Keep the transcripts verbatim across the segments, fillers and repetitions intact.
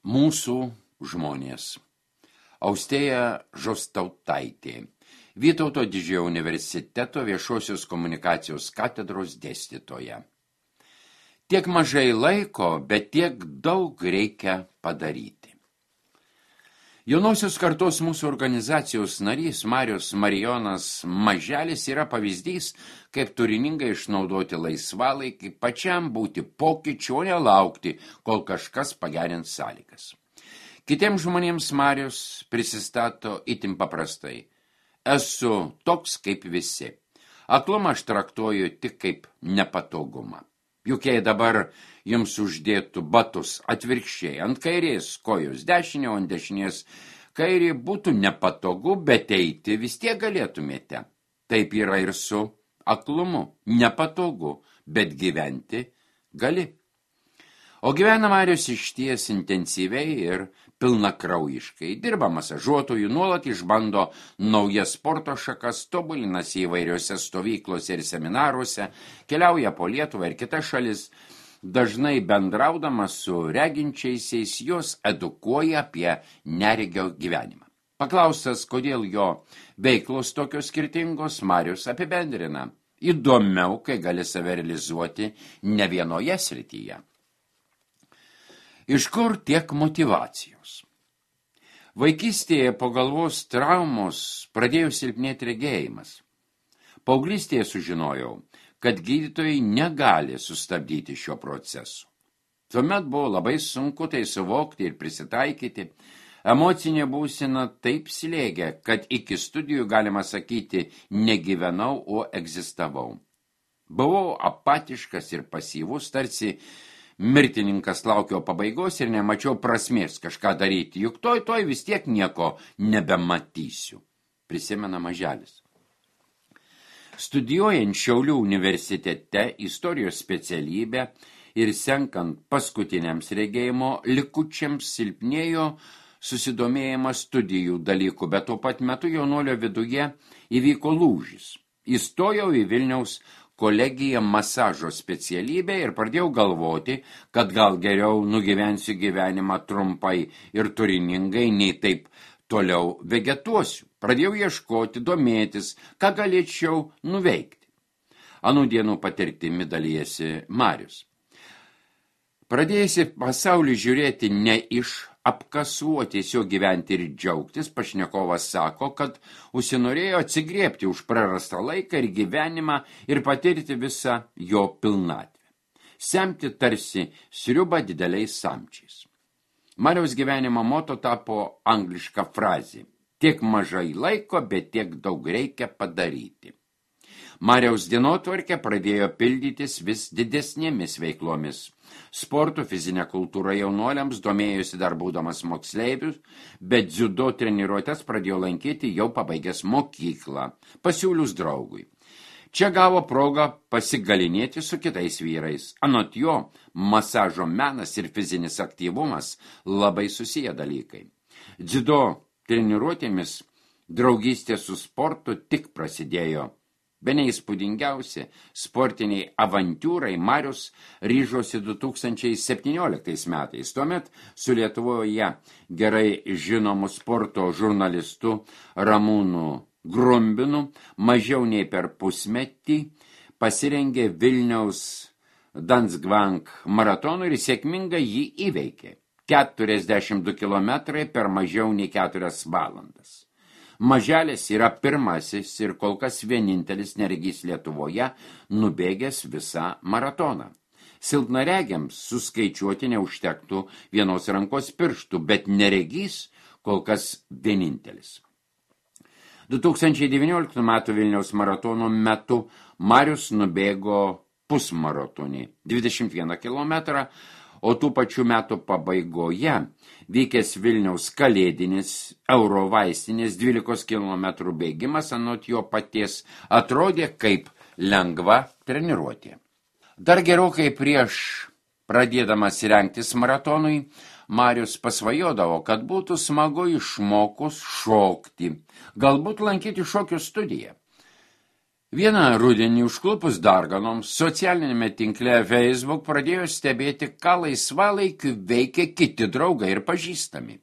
Mūsų žmonės. Austėja Žostautaitė, Vytauto Didžiojo universiteto viešosios komunikacijos katedros dėstytoja. Tiek mažai laiko, bet tiek daug reikia padaryti. Jaunosios kartos mūsų organizacijos narys Marius Marijonas Maželis yra pavyzdys, kaip turiningai išnaudoti laisvalaikį, pačiam būti pokyčiu, o nelaukti, kol kažkas pagerins sąlygas. Kitiems žmonėms Marius prisistato itin paprastai. Esu toks kaip visi. Aklumą aš traktuoju tik kaip nepatogumą. Juk jei dabar jums uždėtų batus atvirkščiai, ant kairės kojos dešinė, o ant dešinės kairė būtų nepatogu, bet eiti vis tiek galėtumėte. Taip yra ir su aklumu. Nepatogu, bet gyventi gali. O gyvena Marius išties intensyviai ir pilnakraujiškai. Dirba masažuotojų, nuolat išbando naujas sporto šakas, tobulinasi įvairiose stovyklose ir seminaruose, keliauja po Lietuvą ir kitas šalis. Dažnai bendraudamas su reginčiaisiais, jos edukuoja apie neregio gyvenimą. Paklaustas, kodėl jo veiklos tokios skirtingos, Marius apibendrina. Įdomiau, kai gali save realizuoti ne vienoje srityje. Iš kur tiek motyvacijos? Vaikystėje po galvos traumos pradėjo silpnėti regėjimas. Paauglystėje sužinojau, kad gydytojai negali sustabdyti šio proceso. Tuomet buvo labai sunku tai suvokti ir prisitaikyti. Emocinė būsena taip slėgė, kad iki studijų, galima sakyti, negyvenau, o egzistavau. Buvau apatiškas ir pasyvus, tarsi mirtininkas laukio pabaigos ir nemačiau prasmės kažką daryti, juk toj toj vis tiek nieko nebematysiu, prisimena Maželis. Studijuojant Šiaulių universitete istorijos specialybę ir senkant paskutiniams regėjimo likučiams silpnėjo susidomėjimas studijų dalykų, bet tuo pat metu jaunuolio viduje įvyko lūžis. Įstojau į Vilniaus kolegiją masažo specialybę ir pradėjau galvoti, kad gal geriau nugyvensiu gyvenimą trumpai ir turiningai, nei taip toliau vegetuosiu. Pradėjau ieškoti, domėtis, ką galėčiau nuveikti. Anų dienų patirtimi dalijasi Marius. Pradėjusi pasaulį žiūrėti ne iš apkasų, o tiesiog gyventi ir džiaugtis, pašnekovas sako, kad užsinorėjo atsigriebti už prarastą laiką ir gyvenimą ir patirti visą jo pilnatvę. Semti tarsi sriubą dideliais samčiais. Mariaus gyvenimo moto tapo angliška frazė. Tiek mažai laiko, bet tiek daug reikia padaryti. Mariaus dienotvarkė pradėjo pildytis vis didesnėmis veiklomis. Sporto fizinė kultūra jaunuoliams domėjosi dar būdamas moksleivius, bet dziudo treniruotes pradėjo lankyti jau pabaigęs mokyklą, pasiūlius draugui. Čia gavo progą pasigalinėti su kitais vyrais. Anot jo, masažo menas ir fizinis aktyvumas labai susiję dalykai. Dziudo treniruotėmis draugystė su sportu tik prasidėjo. Bene įspūdingiausi sportiniai avantūrai Marius ryžosi du tūkstančiai septynioliktais metais. Tuomet su Lietuvoje gerai žinomu sporto žurnalistu Ramūnu Grumbinu mažiau nei per pusmetį pasirengė Vilniaus Danzgvank maratonų ir sėkmingai jį įveikė. keturiasdešimt du kilometrai per mažiau nei keturias valandas. Maželis yra pirmasis ir kol kas vienintelis neregys Lietuvoje nubėgęs visą maratoną. Silpnaregiams suskaičiuoti neužtektų vienos rankos pirštų, bet neregys kol kas vienintelis. du tūkstančiai devynioliktų metų Vilniaus maratono metu Marius nubėgo pusmaratonį dvidešimt vieną kilometrą, o tų pačių metų pabaigoje vykęs Vilniaus kalėdinis Eurovaistinės dvylikos kilometrų bėgimas anot jo paties atrodė kaip lengva treniruotė. Dar gerokai prieš pradėdamas rengtis maratonui, Marius pasvajodavo, kad būtų smagu išmokus šokti, galbūt lankyti šokio studiją. Vieną rudenį užklupus darganoms, socialinėme tinkle Facebook pradėjo stebėti, ką laisvalaikiu veikia kiti draugai ir pažįstami.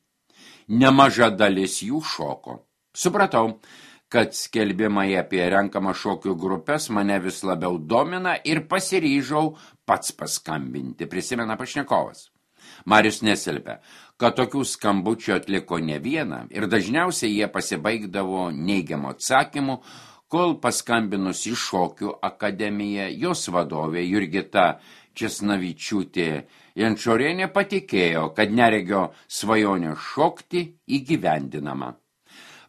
Nemaža dalis jų šoko. Supratau, kad skelbimai apie renkamą šokių grupės mane vis labiau domina ir pasiryžau pats paskambinti, prisimena pašnekovas. Marius nesilpia, kad tokių skambučių atliko ne vieną ir dažniausiai jie pasibaigdavo neigiamo atsakymu, kol paskambinus į šokių akademiją, jos vadovė Jurgita Česnavičiūtė Jančorienė patikėjo, kad neregio svajonė šokti įgyvendinama.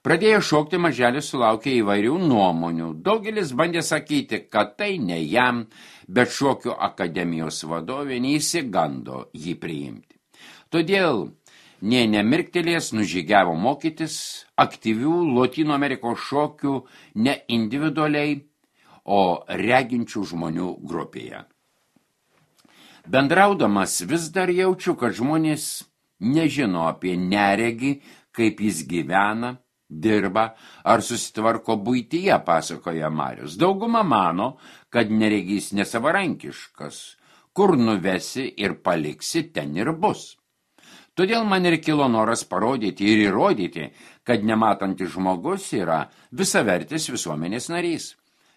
Pradėjo šokti, maželis sulaukė įvairių nuomonių. Daugelis bandė sakyti, kad tai ne jam, bet šokių akademijos vadovė neįsigando jį priimti. Todėl nė nemirktelės nužygiavo mokytis aktyvių Lotynų Amerikos šokių ne individualiai, o reginčių žmonių grupėje. Bendraudamas vis dar jaučiu, kad žmonės nežino apie neregį, kaip jis gyvena, dirba ar susitvarko buityje, pasakoja Marius. Dauguma mano, kad neregys nesavarankiškas. Kur nuvesi ir paliksi, ten ir bus. Todėl man ir kilo noras parodyti ir įrodyti, kad nematantis žmogus yra visavertis visuomenės narys.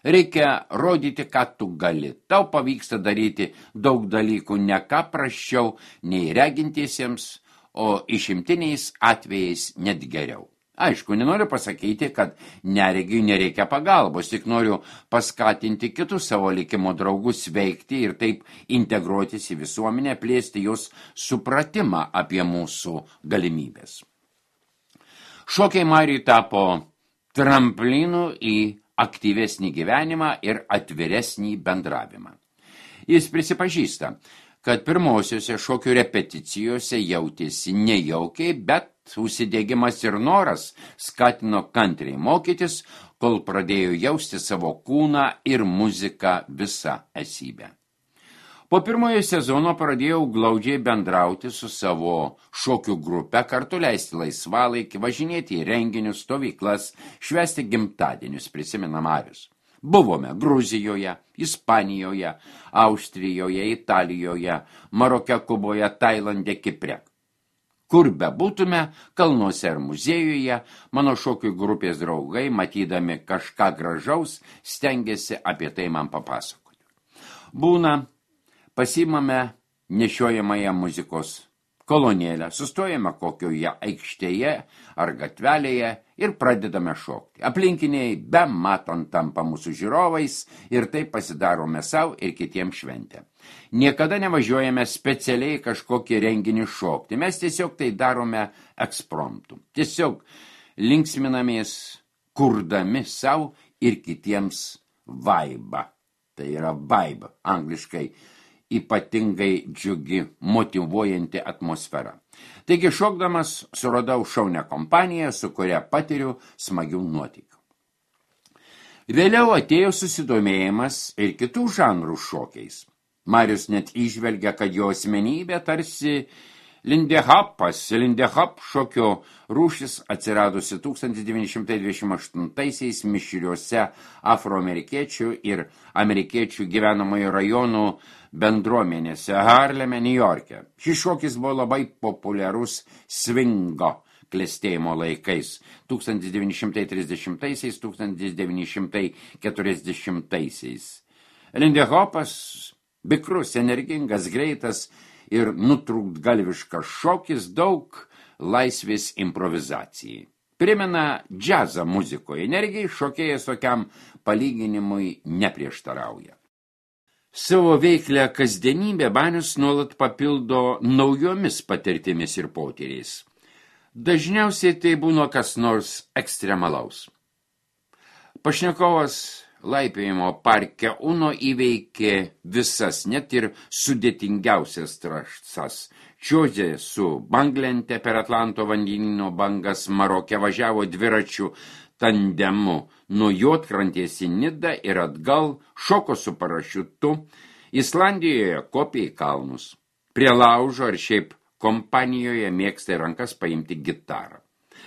Reikia rodyti, ką tu gali. Tau pavyksta daryti daug dalykų ne ką prasčiau nei regintiesiems, o išimtiniais atvejais net geriau. Aišku, nenoriu pasakyti, kad neregiui nereikia pagalbos, tik noriu paskatinti kitus savo likimo draugus veikti ir taip integruotis į visuomenę, plėsti jos supratimą apie mūsų galimybės. Šokiai Mariui tapo tramplinu į aktyvesnį gyvenimą ir atviresnį bendravimą. Jis prisipažįsta, kad pirmosiuose šokių repeticijose jautėsi nejaukiai, bet užsidėgymas ir noras skatino kantriai mokytis, kol pradėjo jausti savo kūną ir muziką visą esybę. Po pirmojo sezono pradėjau glaudžiai bendrauti su savo šokių grupe, kartu leisti laisvalaikį, važinėti į renginius, stovyklas, švęsti gimtadienius, prisimena Marius. Buvome Gruzijoje, Ispanijoje, Austrijoje, Italijoje, Maroke, Kuboje, Tailande, Kipre. Kur bebūtume, kalnuose ar muziejuje, mano šokių grupės draugai, matydami kažką gražaus, stengiasi apie tai man papasakoti. Būna, pasimame nešiojamąją muzikos kolonėlę, sustojame kokioje aikštėje ar gatvelėje ir pradedame šokti. Aplinkiniai be matant tampa mūsų žiūrovais ir taip pasidarome savo ir kitiems šventę. Niekada nevažiuojame specialiai kažkokį renginį šokti, mes tiesiog tai darome ekspromptu. Tiesiog linksminamės, kurdami savo ir kitiems vaibą. Tai yra vibe, angliškai ypatingai džiugi, motyvuojanti atmosfera. Taigi šokdamas suradau šaunią kompaniją, su kuria patiriu smagių nuotykių. Vėliau atėjo susidomėjimas ir kitų žanrų šokiais. Marius net įžvelgia, kad jo asmenybė tarsi lindehopas, lindehop šokio rūšis atsiradusi tūkstantis devyni šimtai dvidešimt aštuntaisiais mišriuose afroamerikiečių ir amerikiečių gyvenamojo rajonų bendruomenėse Harleme, Niujorke. Šis šokis buvo labai populiarus swingo klestėjimo laikais tūkstantis devyni šimtai trisdešimtaisiais - tūkstantis devyni šimtai keturiasdešimtaisiais. Lindehopas, bikrus, energingas, greitas ir nutrūktgalviškas šokis, daug laisvės improvizacijai. Primena džiazą muzikoje, energijai šokėjas tokiam palyginimui neprieštarauja. Savo veiklę kasdienybę Banius nuolat papildo naujomis patirtimis ir potyriais. Dažniausiai tai būna kas nors ekstremalaus. Pašnekovas laipiojimo parke Uno įveikė visas, net ir sudėtingiausias trasas. Čiuožė su banglente per Atlanto vandenyno bangas, Maroke važiavo dviračių tandemu nuo Juodkrantės į Nidą ir atgal, šoko su parašiutu, Islandijoje kopė į kalnus. Prie laužo ar šiaip kompanijoje mėgsta į rankas paimti gitarą.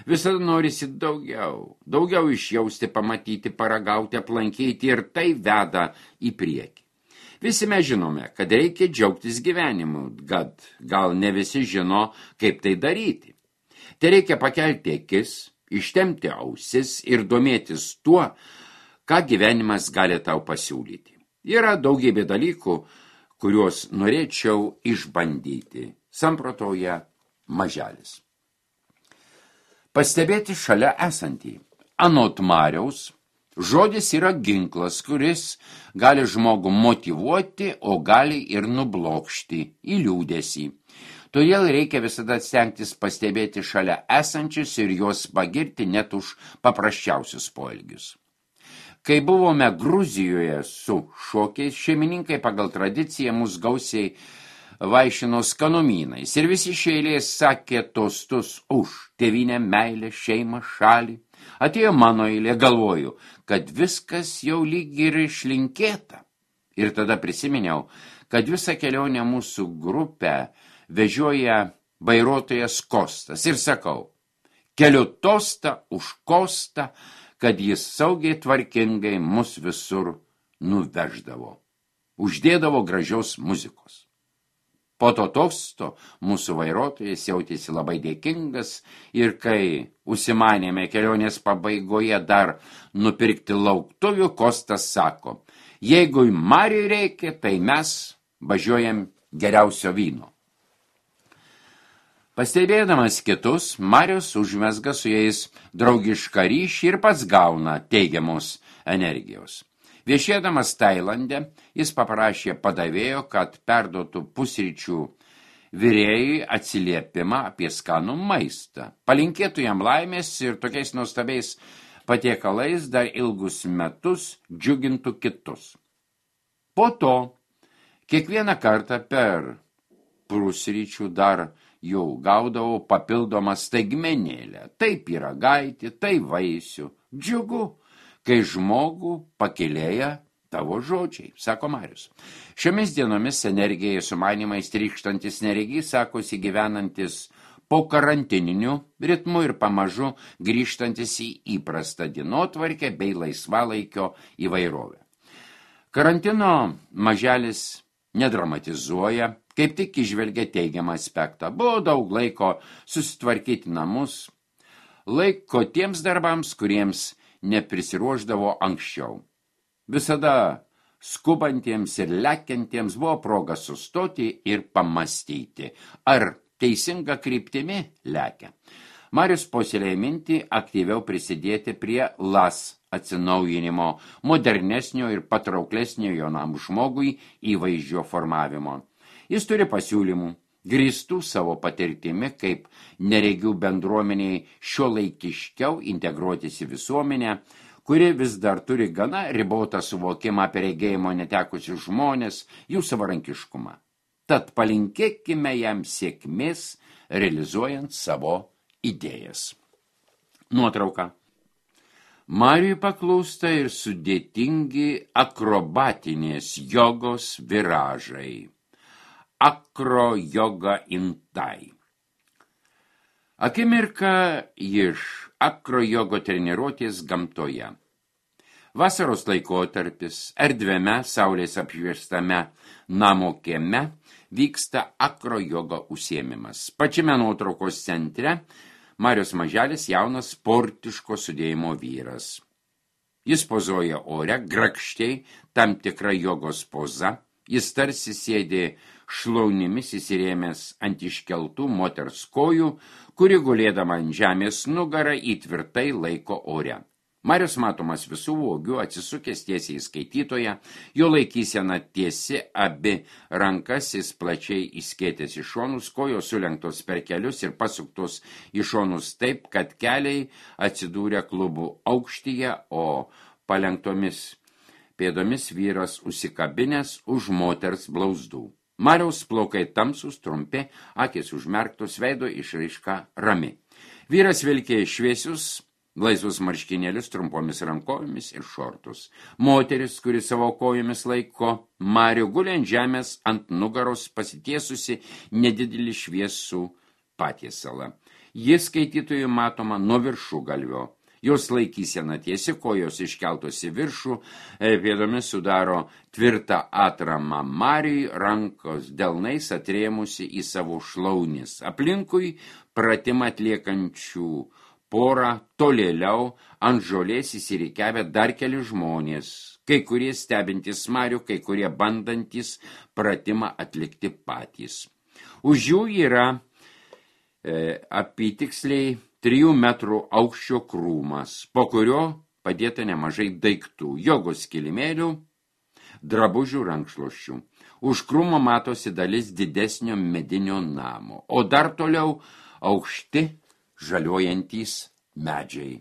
Visada norisi daugiau, daugiau išjausti, pamatyti, paragauti, aplankyti ir tai veda į priekį. Visi mes žinome, kad reikia džiaugtis gyvenimu, kad gal ne visi žino, kaip tai daryti. Tai reikia pakelti akis, ištemti ausis ir domėtis tuo, ką gyvenimas gali tau pasiūlyti. Yra daugybė dalykų, kuriuos norėčiau išbandyti, samprotoja Maželis. Pastebėti šalia esantį. Anot Mariaus, žodis yra ginklas, kuris gali žmogų motyvuoti, o gali ir nublokšti į liūdesį. Todėl reikia visada stengtis pastebėti šalia esančius ir juos pagirti net už paprasčiausius poelgius. Kai buvome Gruzijoje su šokiais, šeimininkai pagal tradiciją mus gausiai vaišino skanumynais ir visi iš eilės sakė tostus už tėvynę, meilę, šeimą, šalį. Atėjo mano eilė, galvoju, kad viskas jau lyg ir išlinkėta. Ir tada prisiminiau, kad visą kelionę mūsų grupę vežioja vairuotojas Kostas ir sakau, keliu tostą už Kostą, kad jis saugiai tvarkingai mus visur nuveždavo. Uždėdavo gražios muzikos. Po to tosto mūsų vairuotojas jautėsi labai dėkingas ir kai užsimanėme kelionės pabaigoje dar nupirkti lauktuvių, Kostas sako, jeigu Mariui reikia, tai mes važiuojam geriausio vyno. Pastebėdamas kitus, Marius užmezga su jais draugišką ryšį ir pats gauna teigiamos energijos. Viešėdamas Tailande, jis paprašė padavėjo, kad perduotų pusryčių virėjui atsiliepimą apie skanų maistą. Palinkėtų jam laimės ir tokiais nuostabiais patiekalais dar ilgus metus džiugintų kitus. Po to, kiekvieną kartą per pusryčių dar jau gaudavau papildomą staigmenėlę. Tai pyragaitį, tai vaisių. Džiugu, kai žmogų pakilėja tavo žodžiai, sako Marius. Šiomis dienomis energijai sumanimais trykštantis neregys, sakosi gyvenantis po karantininiu ritmu ir pamažu grįžtantis į įprastą dienotvarkę bei laisvalaikio įvairovę. Karantino Maželis nedramatizuoja, kaip tik įžvelgia teigiamą aspektą. Buvo daug laiko susitvarkyti namus, laiko tiems darbams, kuriems neprisiruošdavo anksčiau. Visada skubantiems ir lekiantiems buvo proga sustoti ir pamastyti, ar teisinga kryptimi lekia. Marius puoselėja mintį aktyviau prisidėti prie L A S atsinaujinimo, modernesnio ir patrauklesnio jaunam žmogui įvaizdžio formavimo. Jis turi pasiūlymų, grįstų savo patirtimi, kaip neregių bendruomeniai šiuolaikiškiau integruotis į visuomenę, kuri vis dar turi gana ribotą suvokimą apie regėjimo netekusius žmonės, jų savarankiškumą. Tad palinkėkime jam sėkmės, realizuojant savo idėjas. Nuotrauka. Mariui paklūsta ir sudėtingi akrobatinės jogos viražai. Akro joga intai. Akimirka iš akro jogo treniruotės gamtoje. Vasaros laikotarpis, erdviame, saulės apšviestame namo kieme vyksta akro jogo užsiėmimas. Pačiame nuotraukos centre Marius Maželis jaunas sportiško sudėjimo vyras. Jis pozuoja ore, grakščiai, tam tikra jogos poza. Jis tarsi sėdi šlaunimis įsirėmęs ant iškeltų moters kojų, kuri gulėdama ant žemės nugarą įtvirtai laiko ore. Marius matomas visų vogių, atsisukęs tiesiai į skaitytoją, jo laikysena tiesi, abi rankas jis plačiai įskėtęs į šonus, kojos sulenktos per kelius ir pasuktos į šonus taip, kad keliai atsidūrė klubų aukštyje, o palenktomis pėdomis vyras užsikabinęs už moters blauzdų. Mariaus plaukai tamsus, trumpi, akys užmerktos, veido išraiška rami. Vyras vilkė šviesius, laisvus marškinėlius trumpomis rankovėmis ir šortus. Moteris, kuri savo kojomis laiko Marių, guli ant žemės ant nugaros pasitiesusi nedidelį šviesų patiesalą. Jis skaitytojui matoma nuo viršugalvio. Jos laikysena tiesi, kojos iškeltos į viršų, pėdomis sudaro tvirtą atramą mariui, rankos delnais atrėmusi į savo šlaunis. Aplinkui pratimą atliekančių porą tolėliau ant žolės įsirikiavę dar keli žmonės, kai kurie stebintys marių, kai kurie bandantis pratimą atlikti patys. Už jų yra e, apytiksliai trijų metrų aukščio krūmas, po kurio padėta nemažai daiktų, jogos kilimėlių, drabužių rankšluosčių. Už krūmo matosi dalis didesnio medinio namo, o dar toliau aukšti žaliuojantys medžiai.